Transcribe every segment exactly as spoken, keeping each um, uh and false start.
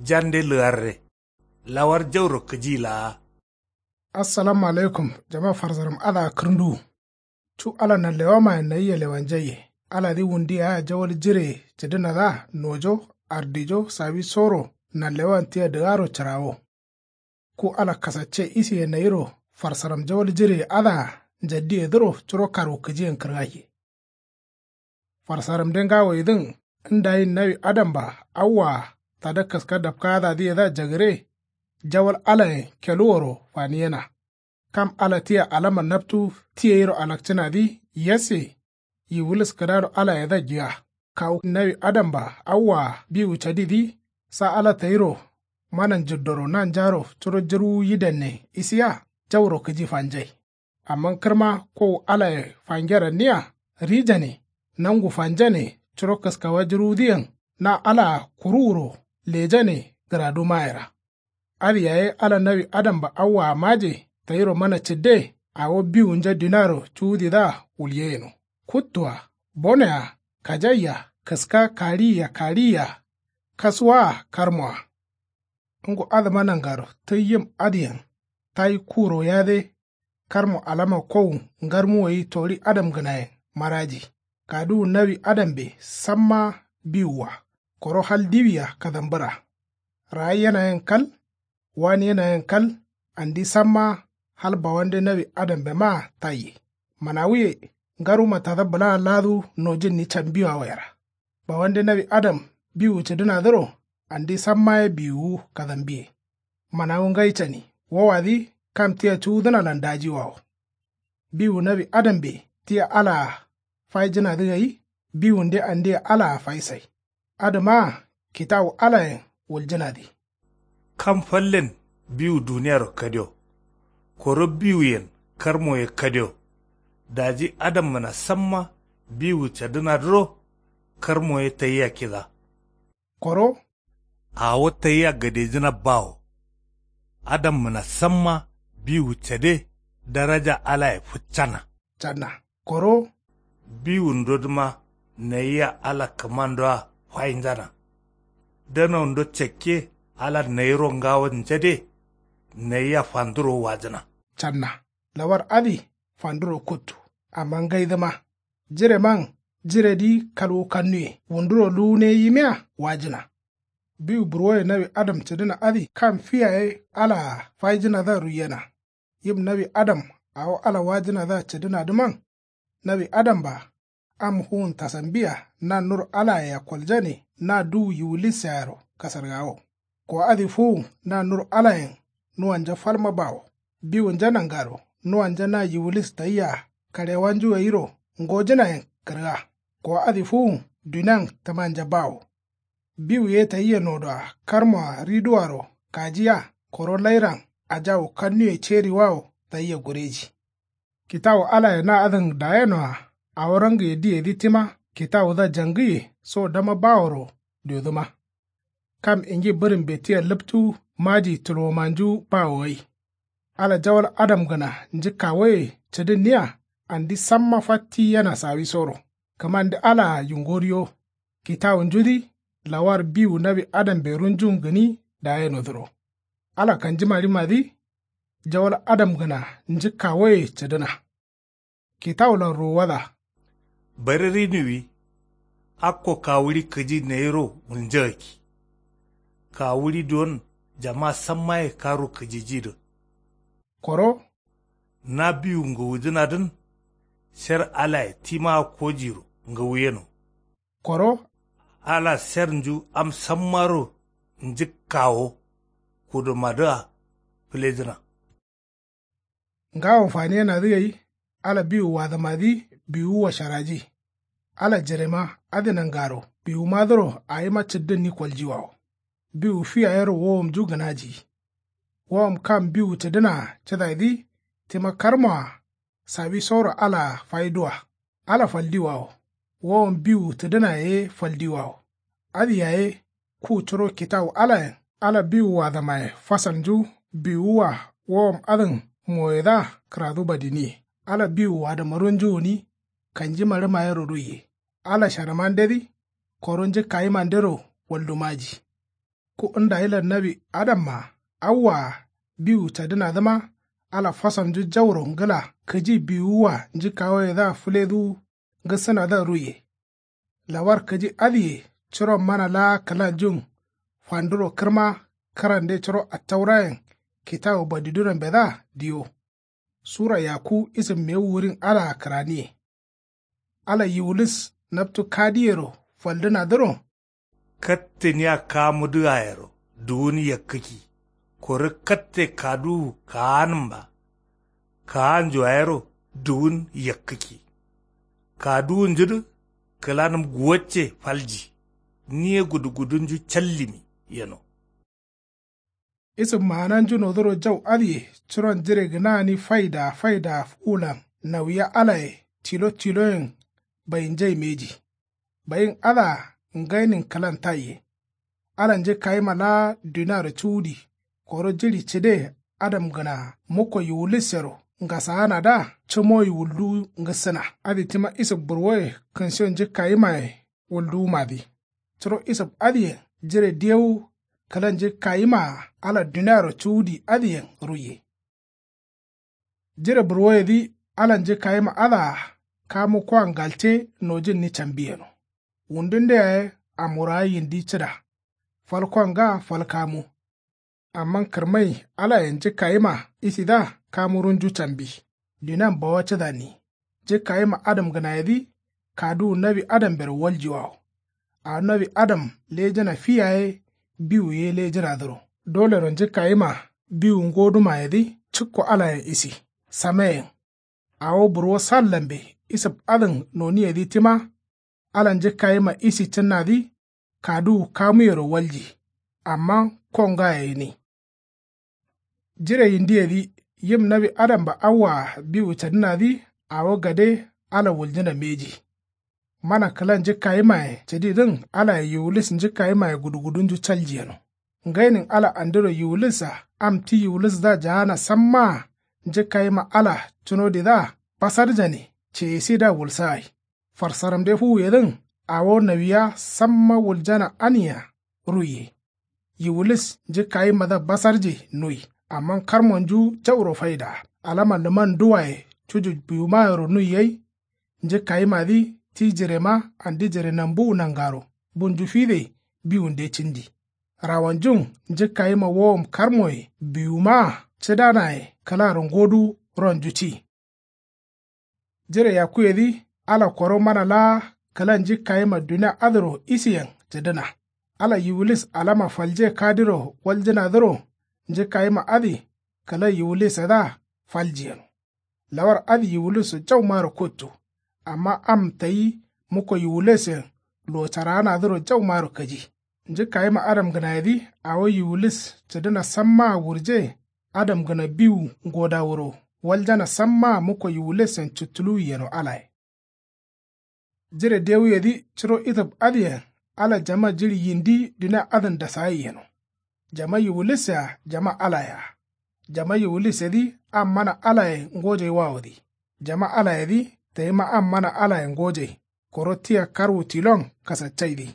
Jande lǝgarre. Lawar jauro kǝji laa. Assalamu alaikum. Jama farsaram adǝa kǝrnduwu. Cu ala nanlewamayen nayia lewanjaiye. Aladǝ wundu yayea jawal jireye cǝdǝnadǝa nojo, ardijo sawisoro nanlewan tia dǝgaro cǝrawo. Ku ala kasacce isiye nayiro farsaram jawal jireye adǝa njaddiyedǝro curo karwukǝjiyen kǝrgaiye. Farsaramde ngawoyedǝn ndayin nawi adamba awwaa tada kǝska dapkadadǝyedǝa jagǝre. Jawal alayen keluworo faniyena. Kam ala tia alama naptu tiyeiro alakcǝnadǝ yasse. Yiwulis kǝdaro alayedǝa juya. Kawu nawi adamba awwaa biwu cadidǝ sa ala tayiro mana njǝddoro nanjaro curo jǝrwu yidannen isiya jauro kǝji fanjai. Amma kǝrma kowu alaye fangeranniya rijane nangu fanjane curo kǝskawa jǝrwudǝyen na alaa kuruwuro lejane gǝradumayera. Adǝ yaye ala nawi adamba awwaa maje tayiro mana cǝdde. Awo biwunja dinaro cuwudidǝa wulyeyeno kuttua bonoyea kajaiya kǝska kariyiya kariyiya kasuwaa karmoa. Ngo adǝma nangaro tǝyyim adǝyen tayi kuro yade. Karmo alama kowu ngarmuwoyi tori adamgǝnayen maraji. Kaduwu nawi adambe samma biwua koro hal diwia kadambǝra. Raayenayen kal waniyenayen kal andi samma hal bawande nawi adambemaa tayye. Manawuye ngaruma tada bǝlaa laadu nojǝnni cambiwawoyera. Bawande nawi adam biwu cǝdǝnadǝro andi samma ye biwuwu kadambiye. Manawu ngai cani wowadǝ kam tia cuwudǝnalan dajiwawo. Biwu nawi adambe tia alaa faijǝnadǝ gai biwunde andia alaa faisai. Adǝmaa kitawu alayen wuljǝnadǝ. Kam fallen biwu duniyaro kadio koro biwuyen karmoye kadio. Daji adammǝna samma biwu cadǝnadǝro karmoye tayia kida. Koro awo tayia gadejǝna bawo. Adammǝna samma biwu cade daraja alaye fǝccana. Canna koro biwundodǝma nayia ala kǝmandoa fainjana. Danaundo cakke ala nayiro ngawo njade nayia fanduro wajǝna. Canna lawar adǝ fanduro kuttu. Amma ngaidǝma jireman jiredǝ kalwu kannuye wunduro luwune yimiya wajǝna. Biwu burwoye nawi adam cǝdǝna adǝ kam fi yaye alaa faijǝnadǝa ruiyena. Yim nawi adam awo ala wajǝnadǝa cǝdǝnadǝman. Nawi adamba am fuwun tasambiya na nur alayea koljane na duwu yiwulissearo kasargawo. Ko adǝ fuwun na nur alayen nuwanja falma bawo. Biwunja nangaro nuwanja na yiwulis tayia karewanju gairo ngojǝnayen kǝrga. Ko adǝ fuwun dunian tǝmanja bawo. Biwu ye tayia nodoa karmoa riduaro kajiya koro lairan ajawu kannuye ceriwawo tayia gureji. Kitawu alaye na adǝn dayenoa awo rangiye diyedǝ tima kitawudǝa jangǝye so dama baworo diodǝma. Kam ingi bǝrǝmbe tia lǝptu maji tulwomanju bawo gai. Ala jawal adamgǝna njǝkkawoye cǝdǝnniya andi samma fatti yena sawisoro. Kǝmande alaa yungoriyo kitawunjudǝ lawar biwu nawi adambe runjun gǝni dayenodǝro. Ala kanjimarimadǝ jawal adamgǝna njǝkkawoye cǝdǝna. Kitawulan ruwuwada. Bare rinuwi akko kawuɍi kǝji nayiro wulnjagakki. Kawuɍi duwon jama sammaye karwu kǝjijidǝ. Koro na biwu ngǝwujǝnadǝn sher alaye timaa kojiro ngǝwuyeno. Koro ala sernju am sammaro njǝkkawo kudumadǝa fǝlejǝna. Ngawon faniyenadǝ gai ala biwu wadǝmadǝ biwuwa sharaji. Ala jirema adǝ nangaro biwumadǝro awima cǝddǝnni koljiwawo. Biwu fi yayero wowomju gǝnaji. Wowom kam biwu cǝdǝnaa cǝdaidǝ tima karmoa sawisoro alaa faiduwa. Ala faldiwawo wowom biwu cǝdǝnaye ye faldiwawo. Adǝ yaye ku curo kitawu alayen ala biwu wadǝmaye fasalnju biwuwa wowom adǝn moyedǝa kǝradu badiniye. Ala biwu wadǝmarunju gǝni kanjimarǝmayero ruiye. Ala sharǝmandedǝ koro njǝkkayimandero waldumaji. Ku ndayilan nawi adamma awwaa biwu cadǝnadǝma ala fasalnju jauro ngǝla kǝji biwuwwa njǝkkawoyedǝa fǝleduwu ngǝsǝnadǝa ruiye. Lawar kǝji adǝye curon mana laa kǝlanjun fanduro kǝrma kǝrande curo attaurayen kitawu badidunambedǝa diyo. Sura yakku isǝm mewu wurin alaa kǝraniye. Ala yiwulis naptu kadiyero faldǝnadǝro katte nia kamudǝ ayero duwun yakkǝkki koro katte kaduwu kaanǝmba kaanju ayero duwun yakkǝkki. Kaduwunjudǝ kǝlanǝm guwacce falji niye gudugudunju callimi yeno. Isǝm maananjunodǝro jau adǝye curon jire gǝnagǝni faidaa faidaa fuwulan nawiya alaye tilo tiloyen bayinjai mbeji. Bayin adǝa ngainin kǝlan taiye. Ala njǝkkayima laa duniaro cuwudi koro jiɍi cǝde adamgǝnaa mukko yiwulissero ngasaanadǝa cǝmoyi wulduwu ngǝssǝna. Adǝ tima isǝm burwoye kǝnshiyo njǝkkayimaye wulduwumadǝ. Curo isǝm adǝyen jire diyewu kǝla njǝkkayimaa ala duniaro cuwudi adǝyen ruiye. Jire burwoyedǝ ala njǝkkayima adǝa kamu koa ngalte nojǝnni cambi yeno. Wundunde yaye amwurawa yindi cǝda fal koa nga fal kamu. Amma kǝrmai alayen njǝkkayima isidǝa kamurunju cambi dunian bawa cǝdanni. Njǝkkayima adamgǝnayedǝ kaduwu nawi adambero waljiwawo. Awo nawi adam lejǝna fi yaye biwu ye lejǝnadǝro dolero njǝkkayima biwu ngodumayedǝ cǝkko alayen isi. Sameyen awo burwo sallambe isǝm adǝn noniyedǝ tima. Ala njǝkkayima isi cǝnnadǝ kaduwu kamuyero walji amma ko ngaye gǝni. Jire yindiyedǝ yim nawi adamba awwaa biwu cadǝnadǝ awo gade ala wuljǝna mbeji. Mana kǝla njǝkkayimaye cǝdidǝn alaye yiwulis njǝkkayimaye gudugudunju calji yeno. Ngainin ala andiro yiwulisa am ti yiwulisdǝa jaana sammaa njǝkkayima ala cunodidǝa basarjane ceyesidǝa wulsagai. Farsaramde fuwuyedǝn awo nawiya samma wuljana ania ruiye. Yiwulis njǝkkayimadǝa basarje nui amma karmonju jauro faidaa alama lǝman duwaye cuju biwumayero nui gai. Njǝkkayimadǝ ti jirema andi jire nambuwu nangaro bunju fide biwunde cǝndi. Rawanjun njǝkkayima wowom karmoye biwumaa cǝdanaye kǝlaro ngodu ronju ci. Jire yakkuyedǝ ala koro mana laa kǝla njǝkkayima dunia adǝro isiyen cǝdǝna. Ala yiwulis alama falje kadiro waljǝnadǝro njǝkkayima adǝ kǝla yiwulisedǝa falji yeno. Lawar adǝ yiwulisso jaumaro kuttu amma am tayi mukko yiwulisen luwo caraanadǝro jaumaro kǝji. Njǝkkayima adamgǝnayedǝ awo yiwulis cǝdǝna sammaa wurje adamgǝna biwu ngodawuro waljana sammaa mukko yiwulisen cǝttuluwi yeno alaye. Jire dewuyedǝ curo itǝb adǝyen ala jama jiɍi yindi dunia adǝn dasagai yeno. Jama yiwulis-a jama alaye-a. Jama yiwulisedǝ am mana alaye ngojaiwawodǝ. Jama alayedǝ tayima am mana alaye ngojai koro tia karwu tilon kasaccaidǝ.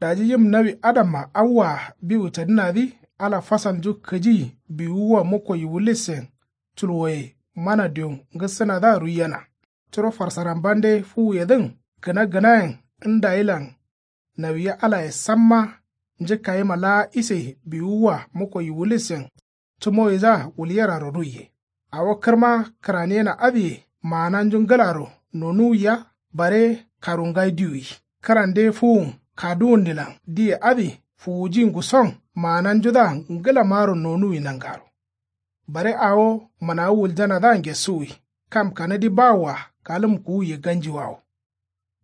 Daji yim nawi adamma awwaa biwu cadǝnadǝ ala fasalnju kǝji biwuwwa mukko yiwulisen culwoye mana diwon ngǝssǝnadǝa ruiyena. Curo farsarambande fuwuyedǝn gǝna gǝnayen ndayilan nawiya alaye samma njǝkkayima laa ise biwuwwa mukko yiwulisen cǝmoyidǝa wulyeraro ruiye. Awo kǝrma kǝraniyena adǝye maananju ngǝlaro nonuwiya bare karungai diwuwi. Kǝrande fuwun kaduwunnilan diye adǝ fuwuji nguson maananjudǝa ngǝlamaro nonuwi nangaro. Bare awo mǝnawu wuljanadǝa ngesuwi kam kanadi bawoa kalǝm kuwuye ganjiwawo.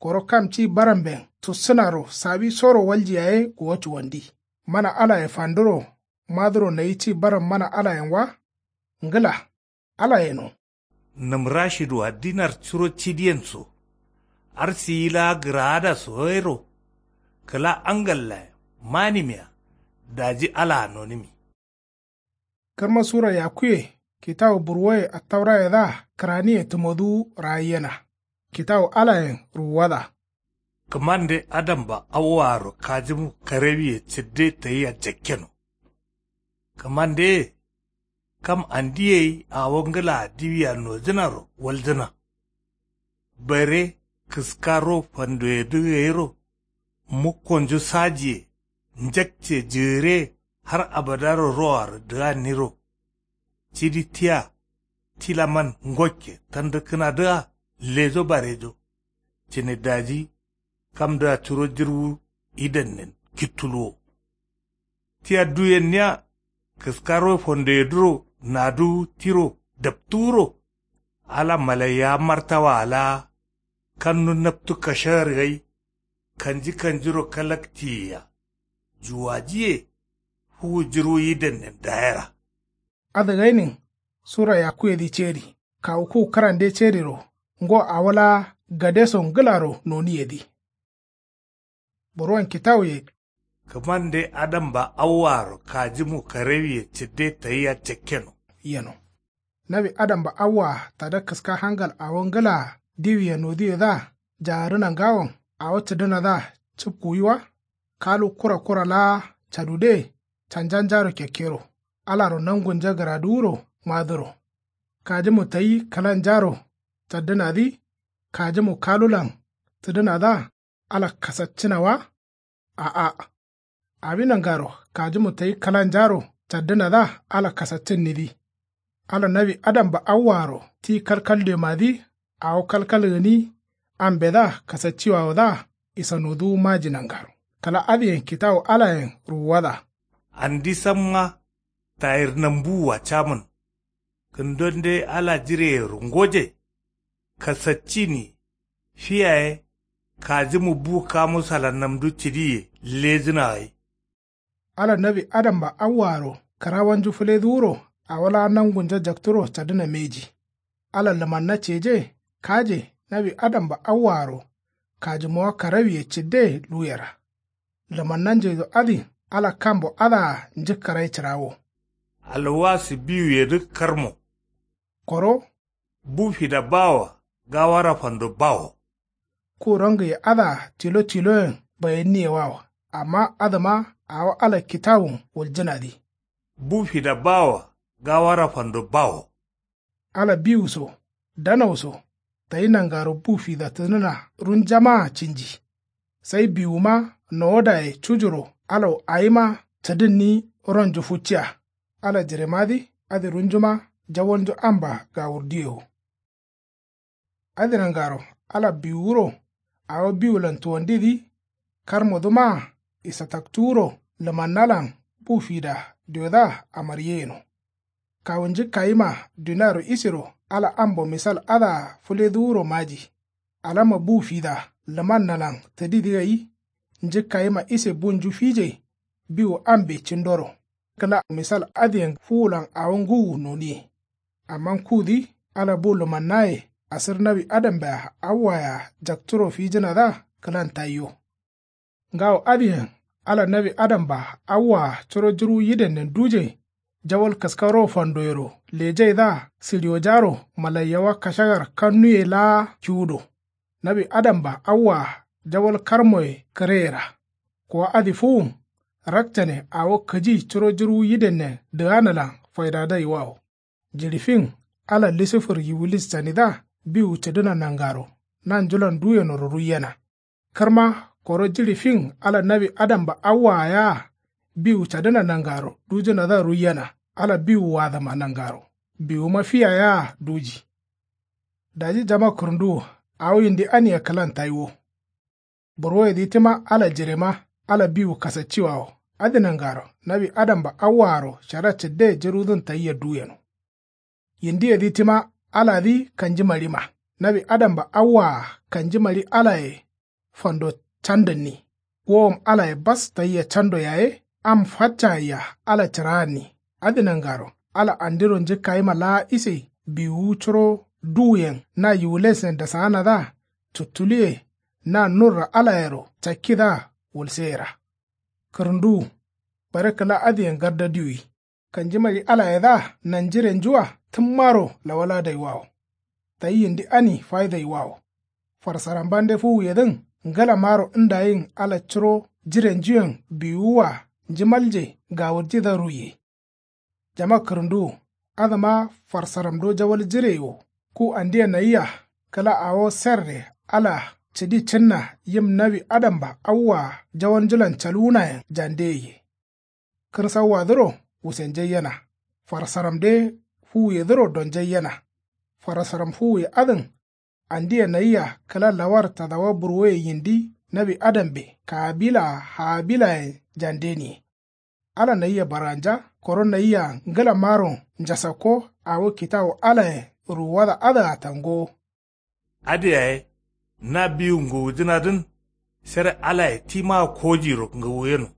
Koro kam ci baramben tussǝnaro sawisoro walji yaye guwo cuwandi. Mana alaye fanduro maduro nayi ci baram mana alayen wa. Ngǝla alayeno. Nǝm rashidwa dinar curo cidiyen so. Arsiyi laa gǝraada so gairo. Kǝla angallaye manimiya. Daji alaa nonǝmi. Kǝrma sura yakkuye kitawu burwoye attaurayedǝa kǝraniye tǝmoduwu ragaiyena. Kitawu alayen ruwuwada. Kǝmande adamba awwaaro kajimu karewiye cǝdde tayia jakkeno. Kǝmandeye kam andiye ye awo ngǝlaa diwia nojǝnaro waljǝna. Bare kǝska ro fandoyedǝ gairo mukkonju sajiye njakce jǝgǝre har abadaro roaro dǝganniro. Cidi tia tilaman ngokke tandǝkkǝnadǝa lejo barejo. Cǝne daji kamdǝa curo jirwu idannen kittuluwo. Tia duyenniya kǝskaro fondoyedǝro naduwu tiro daptuwuro. Ala malaiyawa martawaa laa kannu naptu kashagar gai kanji kanjiro kalaktiyiya. Juwajiye fuwu jirwu yidannen dayera. Adǝ gainin sura yakkuyedǝ ceri kawu ku kǝrande ceriro ngo awo laa gadeso ngǝlaro noniyedǝ. Burwon kitawuye. Kǝmande adamba awwaaro kajimu karewiye cǝdde tayia jakkeno. Yeno. Nawi adamba awwaa tada kǝska hangal awo ngǝlaa diwiye noduyedǝa jagarǝna ngawon awo cǝdǝnadǝa cǝpkuwiwa. Kalu kura kura laa cadude canjanjaro kekkero alaro nangunja gǝraduwuro madǝro. Kajimu tayi kǝlanjaro caddǝnadǝ kajimu kalulan cǝdǝnadǝa ala kasaccǝna wa. A'a. Awi nangaro kajimu tayi kǝlanjaro caddǝnadǝa ala kasaccǝnnidǝ. Ala nawi adamba awwaaro ti kalkaldemadǝ awo kalkal gǝni ambedǝa kasacciwawodǝa isanoduwu maji nangaro kǝla adǝyen kitawu alayen ruwuwada. Andi samma tayir nambuwua camǝn. Kǝndonde ala jireyero ngoje kasaccini fi yaye kajimu bu kamusalan namdu cǝdiye lejǝna gai. Ala nawi adamba awwaaro kǝrawonju fǝleduwuro awo laa nangunja jakturo cadǝna mbeji. Ala lǝmanna ceje kaje nawi adamba awwaaro kajimuwa karawiye cǝdde luwera. Lǝmannanjeido adǝ ala kambo adǝa njǝkkarai cǝrawo. Alwasi biwuyedǝ karmo. Koro bu fida bawoa gawara fando bawo. Ku rongǝye adǝa tilo tiloyen bayenniye wawo. Amma adǝma awo ala kitawun wuljǝnadǝ. Bu fida bawoa gawara fando bawo. Ala biwu so danau so tayi nangaro bu fida tǝdǝna runjamaa cinji. Sai biwuma nowodaye cujuro alau awima cǝdǝnni ronju fucciya. Ala jiremadǝ adǝ runjuma jawalnju amba gawurduye wo. Adǝ nangaro ala biwuwuro awo biwulan tuwandidǝ karmodǝmaa isataktuwuro lǝmannalan bu fida diodǝa amariye yeno. Kawu njǝkkayima duniaro isero ala ambo misal adǝa fǝleduwuro maji. Alama bu fida lǝmannalan tǝdidǝ gai njǝkkayima ise bunju fije biwu ambe cindoro. Kǝla misal adǝyen fuwulan awo ngǝwu noniye. Amma kudǝ ala bu lǝmannaye asǝr nawi adambea awwayea jakturo fijǝnadǝa kǝlan tayio. Ngawo adǝyen ala nawi adamba awwaa curo jǝrwu yidennen duje jawal kǝskaro fandoyero lejaidǝa sǝɍiwojaro malaiyawa kashagar kannuye laa kiwudo. Nawi adamba awwaa jawal karmoye kǝreyera. Kuwa adǝ fuwun rakcane awo kǝji curo jǝrwu yidennen dǝganalan faidadaiwawo. Jiɍi fin ala lisifur yiwulis canidǝa biwu cǝdǝna nangaro nanjulan duyenoro ruiyena. Kǝrma koro jiɍi fin ala nawi adamba awwaa yea biwu cadǝna nangaro dujǝnadǝa ruiyena. Ala biwu wadǝma nangaro biwuma fiya yea duji. Daji jama kǝrǝnduwu awo yindi ania kǝlan tayiwo. Burwoyedǝ tima ala jirema ala biwu kasacciwawo. Adǝ nangaro nawi adamba awwaaro shara cǝdde jǝrwudǝn tayia duyeno. Yindiyedǝ tima aladǝ kanjimaɍima. Nawi adamba awwaa kanjimaɍi alaye fando candǝnni. Wowom alaye bas tayia cando yaye am faccagaiya ala cǝraanni. Adǝ nangaro ala andiro njǝkkayima laa ise biwuwu curo duwuyen na yiwulesnen dasaanadǝa cuttuluye na nurra alayero cakkidǝa wulseyera. Kǝrǝnduwu bare kǝla adǝyen gardadiwwi. Kanjimaɍi alayedǝa nanjirenjua tǝmmaro lawaladaiwawo. Tayi yindi ani faidaiwawo. Farsarambande fuwuyedǝn Ngǝlamaro ndayin ala curo jirenjuyen biwuwa njimalje gawurjidǝa ruiye. Jama kǝrǝnduwu adǝma farsaramdo jawal jire wo. Ku andiya nayia kǝla awo serre ala cǝdi cǝnna yim nawi adamba awwa jawalnjulan calwunayen jande ye. Kǝrsauwadǝro wusenjaiyena. Farsaramde fuwuyedǝro donjaiyena. Farsaram fuwuye adǝn andiya nayia kǝla lawar tadawa burwoye yindi nawi adambe kabilaa habilayen jandeniye. Ala nayia barganja koro nayia ngǝlamaro njasakko awo kitawu alayen ruwuwada adǝa tangowo. Adǝ yaye na biwu ngǝwujǝnadǝn sere alaye timaa kojiro ngǝwuyeno.